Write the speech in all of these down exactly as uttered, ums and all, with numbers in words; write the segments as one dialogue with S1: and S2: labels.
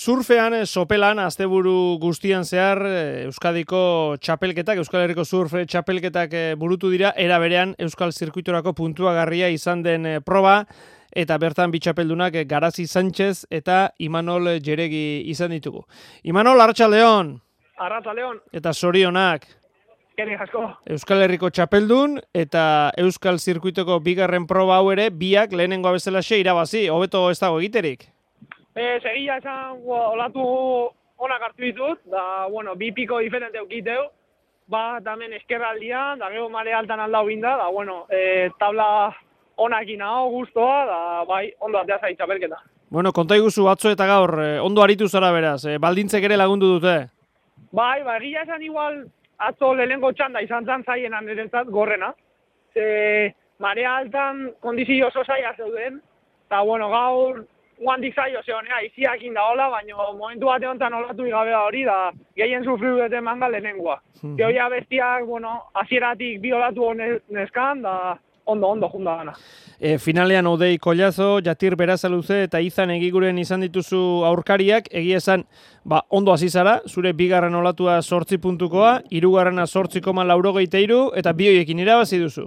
S1: Surfean, sopelan, asteburu guztian zehar, Euskadiko txapelketak, Euskal Herriko surf txapelketak burutu dira, era berean Euskal Zirkuiturako puntuagarria izan den proba, eta bertan bi txapeldunak Garazi Sánchez eta Imanol Jeregi izan ditugu. Imanol, Arratsaldeon.
S2: Arratsaldeon.
S1: Eta zorionak.
S2: Eskerrik asko.
S1: Euskal Herriko txapeldun eta Euskal Zirkuituko bigarren proba hau ere, biak lehenengoa bezalaxe irabazi, hobeto ez dago egiterik.
S2: E, Segia esan olatu onak hartu ditut, da, bueno, bi piko diferente eukiteu, bat hemen eskerraldian, da gero mare altan aldau binda, da, bueno, e, tabla onakin hau guztoa, da, bai, ondo atea zait txapelketa.
S1: Bueno, konta iguzu atzo eta gaur, ondo aritu zara beraz, eh, baldintzek ere lagundu dute.
S2: Bai, bai, egia esan igual, atzo lehenengo txanda izan zan zaienan niretzat gorrena. Ze, marea altan kondizio oso zaila zeuden, eta, bueno, gaur, guantik zailo zeonea, iziak indaola, baina momentu bate honetan olatu igabea hori, da gehien sufriu dute manga lehenengoa. Mm-hmm. Gehoia bestiak, bueno, hasieratik bi olatu honeskan, da ondo, ondo junda gana.
S1: E, finalean Odei Kollazo, Jatir Berasaluze eta Izan Egiguren izan dituzu aurkariak, egia esan, ba, ondo hasi zara, zure bigarren olatua zortzi puntukoa, hirugarrena zortzi koma laurogeita hiru, eta bi horiekin irabazi duzu.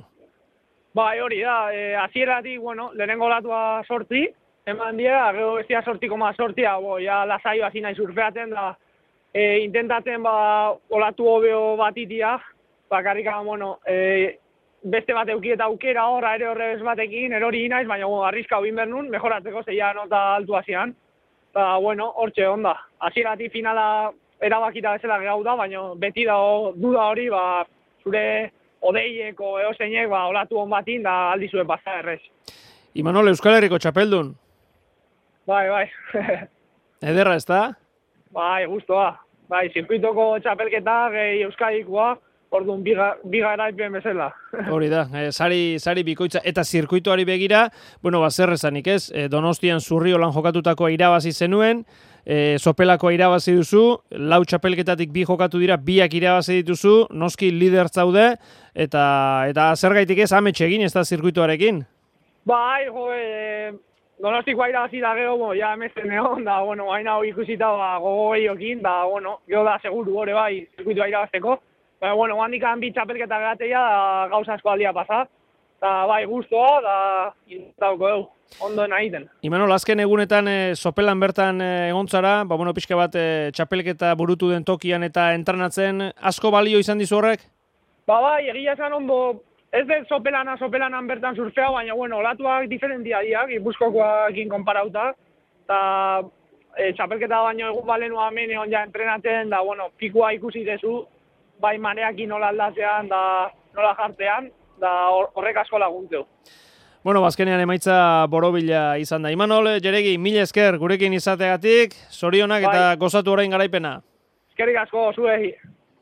S2: Bai, hori da, e, hasieratik, bueno, lehenengo olatua sortzi, eman dira, gero bestia sorti koma sortia, bo, ja lasaio hasi nahi surfeaten, da, e, intentatzen, ba, olatu hobeo batitia, bakarrika, bueno, e, beste bat eukieta aukera horra ere horrebez batekin, erori inaiz, baina bueno, arriska hobin bernun, mejoratzeko zeia nota altu hasian. Eta, bueno, hortxe onda. Hasieratik finala erabakita bezala gau da, baina beti da duda hori, ba, zure odeieko eoseinek, ba, olatu hon batin, da aldi zuen pasa errez.
S1: Imanol, Euskal Herriko txapeldun.
S2: Bai, bai.
S1: Ederra, ez da?
S2: Bai, guztua. Bai, zirkuitoko txapelketa, gehi Euskadikoa, orduan biga, biga eraipen bezala.
S1: Hori da, e, sari, sari bikoitza. Eta zirkuituari begira, bueno, bazer esanik ez, e, Donostian Zurriolan jokatutakoa irabazi zenuen, e, Sopelakoa irabazi duzu, lau txapelketatik bi jokatu dira, biak irabazi dituzu, noski lider zaude, eta, eta zergaitik ez ametxe egin ez da zirkuituarekin?
S2: Bai, jo, e, Donostikoa irabazi da gero, bo, ja emezen egon, da, bueno, haina hori ikusita ba, gogo gehiokin, da, bueno, gero da seguru hori bai, zirkuitua irabazteko. Baina, bueno, handikan bi txapelketa gerateia, da, gauza asko aldia pasa. Da, bai, guztua, da, intauko egu, ondo egiten.
S1: Imanol, azken egunetan e, Sopelan bertan e, egontzara, ba, bueno, pixka bat e, txapelketa burutu den tokian eta entrenatzen, asko balio izan dizu horrek?
S2: Ba, bai, egia esan ondo, ez dut Sopelana, Sopelanan bertan surfea, baina, bueno, olatuak diferentia diak, Gipuzkoarekin konparauta, eta e, txapelketa baino egun balenua hemen egon ja entrenatzen, da, bueno, pikua ikusi dezu, bai mareakin nola aldatzean, da nola jartean, da horrek asko laguntzeu.
S1: Bueno, bazkenean emaitza borobila izan da. Imanol Jeregi, mila esker gurekin izateagatik, zorionak bai. Eta gozatu orain garaipena.
S2: Eskerrik asko, zuei.